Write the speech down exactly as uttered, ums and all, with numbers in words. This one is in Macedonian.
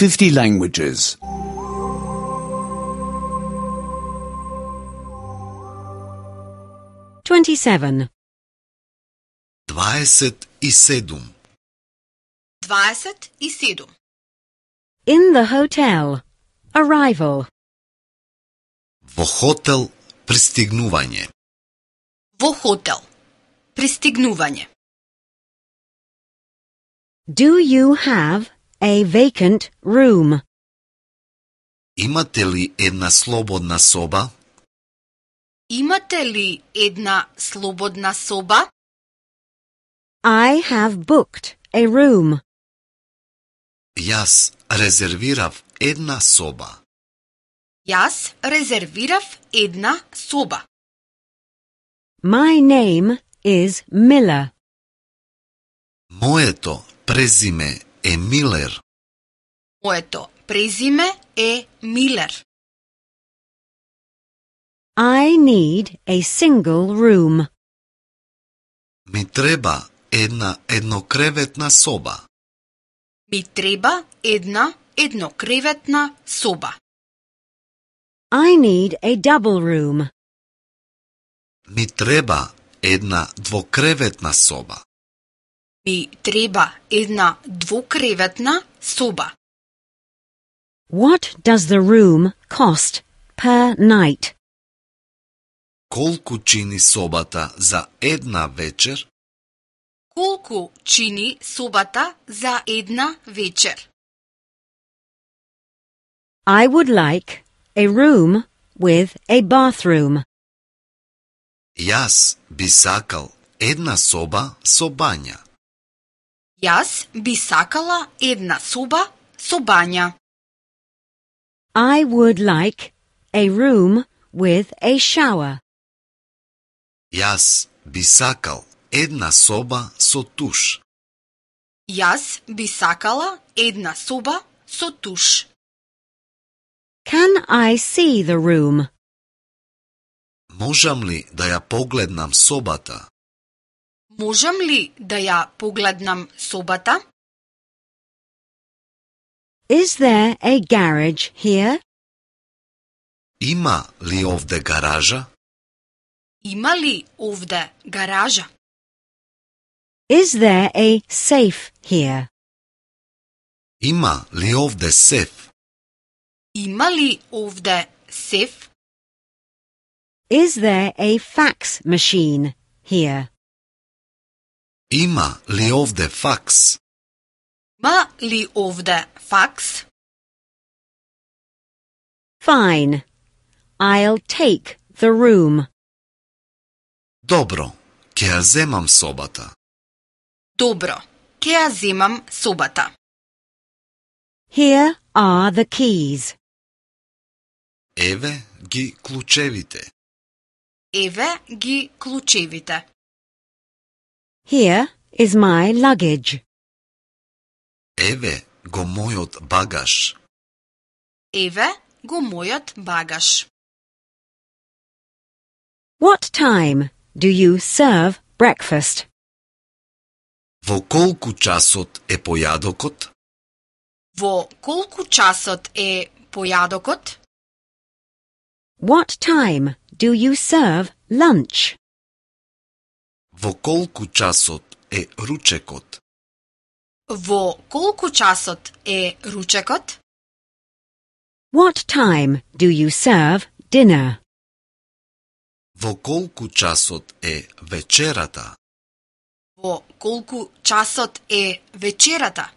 fifty languages. twenty-seven. дваесет и седум. дваесет и седум. In the hotel. Arrival. Во хотел пристигнување. Во хотел. Пристигнување. Do you have a vacant room? Имате ли една слободна соба? Имате ли една слободна соба? I have booked a room. Јас резервирав една соба. Јас резервирав една соба. My name is Miller. Моето презиме е Милер. Моето презиме е Милер. I need a single room. Ми треба една еднокреветна соба. Ми треба една еднокреветна соба. I need a double room. Ми треба една двокреветна соба. Ми треба една двукреветна соба. What does the room cost per night? Колку чини собата за една вечер? Колку чини собата за една вечер? I would like a room with a bathroom. Јас би сакал една соба со бања. Јас би сакала една соба со бања. I would like a room with a shower. Јас би сакал една соба со туш. Јас би сакала една соба со туш. Can I see the room? Можам ли да ја погледнам собата? Можам ли да ја погледнам собата? Is there a garage here? Има ли овде гаража? Има ли овде гаража? Is there a safe here? Има ли овде сеф? Има ли овде сеф? Is there a fax machine here? Има ли овде факс? Има ли овде факс? Fine. I'll take the room. Добро, ќе ја земам собата. Добро, ќе ја земам собата. Here are the keys. Еве ги клучевите. Еве ги клучевите. Here is my luggage. Еве го мојот багаж. Еве го мојот багаж. What time do you serve breakfast? Во колку часот е појадокот? Во колку часот е појадокот? What time do you serve lunch? Во колку часот е ручекот? Во колку часот е ручекот? What time do you serve dinner? Во колку часот е вечерата? Во колку часот е вечерата?